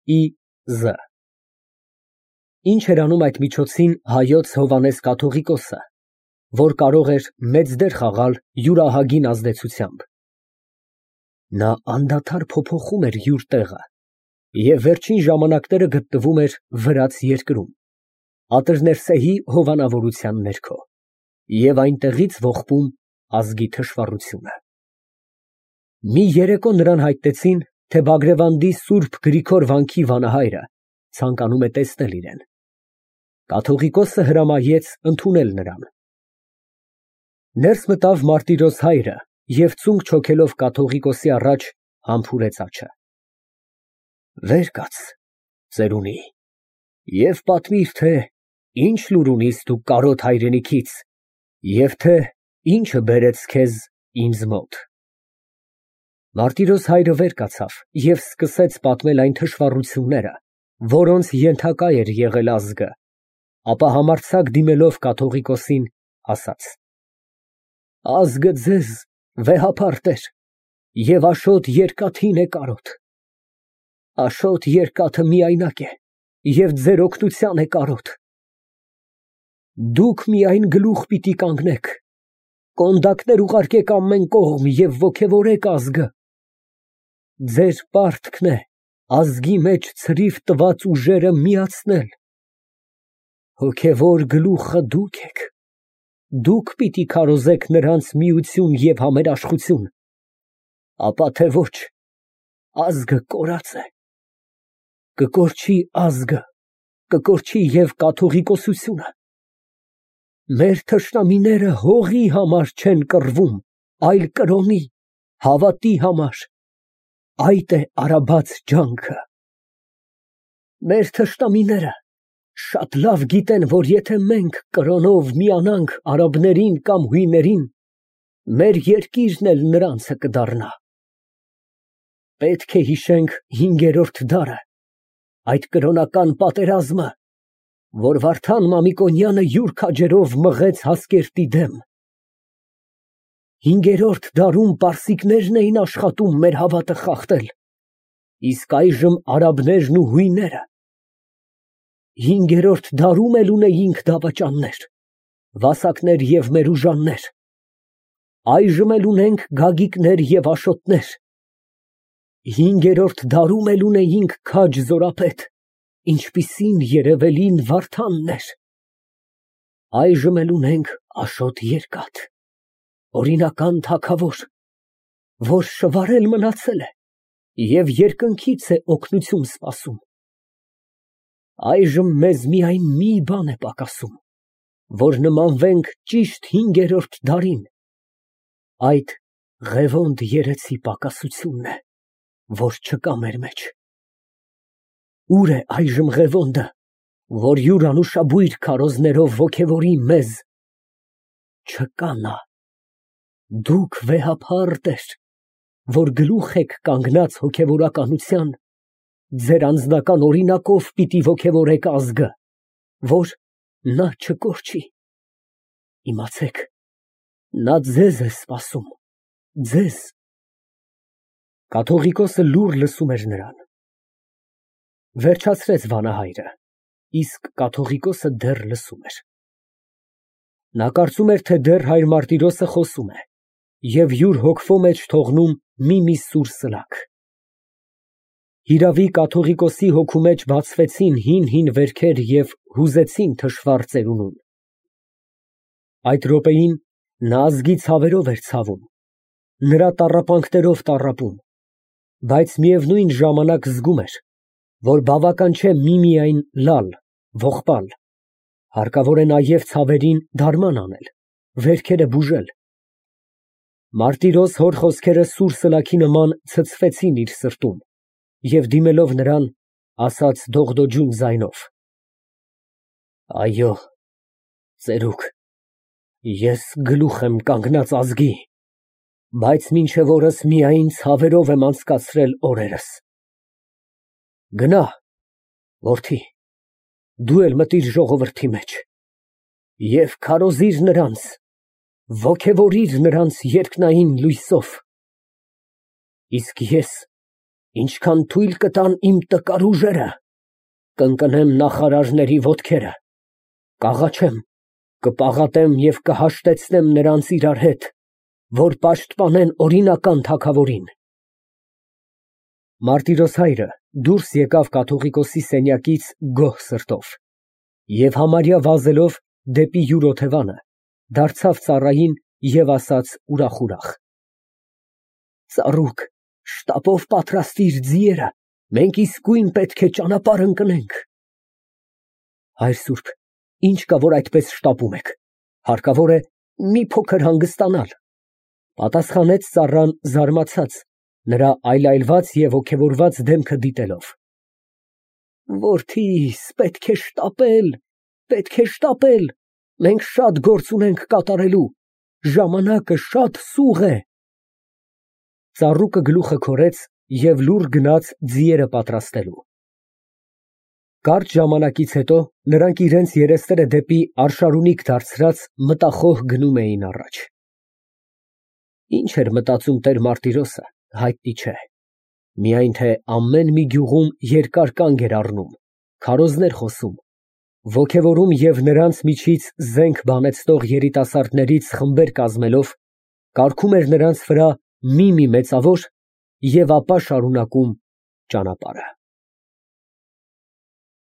Ի.Զ. Ինչ էր անում այդ միջոցին Հայոց Հովհաննես կաթողիկոսը, որ կարող էր մեծ դեր խաղալ յուրահագին ազդեցությամբ։ Նա անդադար փոփոխում էր յուր տեղը և վերջին ժամանակները գտնվում էր վրաց երկրում, Ատրներսեհի հովանավորության ներքո, և այնտեղից ողբում ազգի թշվառությունը։ Մի երեկո նրան հայտնեցին, թե Բագրևանդի Սուրբ Գրիգոր վանքի վանահայրը ցանկանում է տեսնել իրեն։ Կաթողիկոսը հրամայեց ընդունել նրան։ Ներս մտավ Մարտիրոս հայրը և ծունկ չոքելով կաթողիկոսի առաջ համբուրեց աչքը։ Վեր կաց, ծերունի, և պատմիր, թե ինչ լուր ունիս դու կարոտ հայրենիքից և թե ինչը բերեց քեզ ինձ մոտ։ Մարտիրոս հայրը վեր կացավ և սկսեց պատմել այն թշվառությունները, որոնց ենթակա էր եղել ազգը, ապա համարձակ դիմելով կաթողիկոսին, ասաց. Ազգը ձեզ վեհապարտ էր և Աշոտ երկաթին է կարոտ։ Աշոտ երկաթը միայնակ է և ձեր օգնության է կարոտ։ Դուք միայն գլուխ պիտի կանգնեք, կոնդակներ ուղարկեք ամեն կողմ և ոգևորեք ազգը։ Ձեր պարտքն է ազգի մեջ ցրիվ տված ուժերը միացնել։ Հոգևոր գլուխը դուք եք, դուք պիտի քարոզեք նրանց միություն և համերաշխություն, ապա թե ոչ, ազգը կորած է։ Կկորչի ազգը, կկորչի և կաթողիկոսությունը։ Մեր թշնամիները հողի համար չեն կռվում, այլ կրոնի, հավատի համար, այդ է արաբած ջանքը։ Մեր թշնամիները շատ լավ գիտեն, որ եթե մենք կրոնով միանանք արաբներին կամ հույներին, մեր երկիրն էլ նրանցը կդառնա։ Պետք է հիշենք 5-րդ դարը, այդ կրոնական պատերազմը, որ Վարդան Մամիկոնյանը յուր քաջերով մղեց Հասկերտի դեմ։ 5-րդ դարում պարսիկներն էին աշխատում մեր հավատը խախտել, իսկ այժմ արաբներն ու հույները։ 5-րդ դարում էլ ունեինք դավաճաններ, վասակներ և մերուժաններ, այժմ էլ ունենք գագիկներ և աշոտներ։ 5-րդ դարում էլ ունեինք քաջ զորապետ, ինչպիսին երևելին Վարդանն էր։ Այժմ էլ ունենք Աշոտ երկաթ, օրինական թագավոր, որ շվարել մնացել է և երկնքից է օգնություն սպասում։ Այժմ մեզ միայն մի բան է պակասում, որ նմանվենք ճիշտ 5-րդ դարին, այդ Ղևոնդ երեցի պակասությունն է, որ չկա մեր մեջ։ Ուր է այժմ Ղևոնդը, որ յուր անուշաբույր քարոզներով ոգևորի մեզ։ Չկա նա։ Դուք վեհապարտ, որ գլուխ եք կանգնած հոգևորականության, ձեր անձնական օրինակով պիտի ոգևորեք ազգը, որ նա չկորչի։ Իմացեք, նա ձեզ է սպասում, ձեզ։ Կաթողիկոսը լուռ լսում էր նրան։ Վերջացրեց վանահայրը, իսկ կաթողիկոսը դեռ լսում էր։ Նա կարծում էր, թե դեռ հայր Մարտիրոսը խոսում է և յուր հոգվո մեջ թողնում մի սուր սլաք։ Հիրավի, կաթողիկոսի հոգու մեջ բացվեցին հին վերքեր և հուզեցին թշվառ ծերունուն։ Այդ րոպեին նա ազգի ցավերով էր ցավում, նրա տառապանքներով տառապում, բայց միևնույն ժամանակ զգում էր, որ բավական չէ միմիայն լալ, ողբալ, հարկավոր է նաև ցավերին դարման անել, վերքերը բուժել։ Մարտիրոս հոր խոսքերը սուր սլաքի նման ցցվեցին իր սրտում և դիմելով նրան, ասաց դողդոջուն ձայնով. Այո, ծերուկ, ես գլուխ եմ կանգնած ազգի, բայց մինչև օրս միայն ցավերով եմ անցկացրել օրերս։ Գնա, որդի, դու էլ մտիր ժողովրդի մեջ և քարոզիր նրանց, ոգևորիր նրանց երկնային լույսով։ Իսկ ես Ինչքան թույլ կտան իմ տկար ուժերը, կընկնեմ նախարարների ոտքերը, կաղաչեմ, կպաղատեմ և կհաշտեցնեմ նրանց իրար հետ, որ պաշտպանեն օրինական թագավորին։ Մարտիրոս հայրը դուրս եկավ կաթողիկոսի սենյակից գոհ սրտով և համարյա վազելով դեպի յուր օթևանը, դարձավ ծառային և ասաց ուրախ։ Ծառուկ, շտապով պատրաստիր ձիերը, մենք իսկույն պետք է ճանապարհ ընկնենք։ Հայր սուրբ, ինչ կա, որ այդպես շտապում եք, հարկավոր է մի փոքր հանգստանալ, պատասխանեց ծառան զարմացած, նրա այլայլված և ոգևորված դեմքը դիտելով։ Որդիս, պետք է շտապել, մենք շատ գործ ունենք կատարելու, ժամանակը շատ սուղ է։ Ծառուկը գլուխը քորեց և լուռ գնաց ձիերը պատրաստելու։ Կարճ ժամանակից հետո նրանք իրենց երեսները դեպի արշարունիք դարձրած մտախոհ գնում էին առաջ։ Ինչ էր մտածում տեր Մարտիրոսը, հայտնի չէ, միայն թե ամեն մի գյուղում երկար կանգ էր առնում, քարոզներ խոսում, ոգևորում և նրանց միջից զենք բանեցնող երիտասարդներից խմբեր կազմելով կարգում էր նրանց վրա մի-մի մեծավոր և ապա շարունակում ճանապարհը։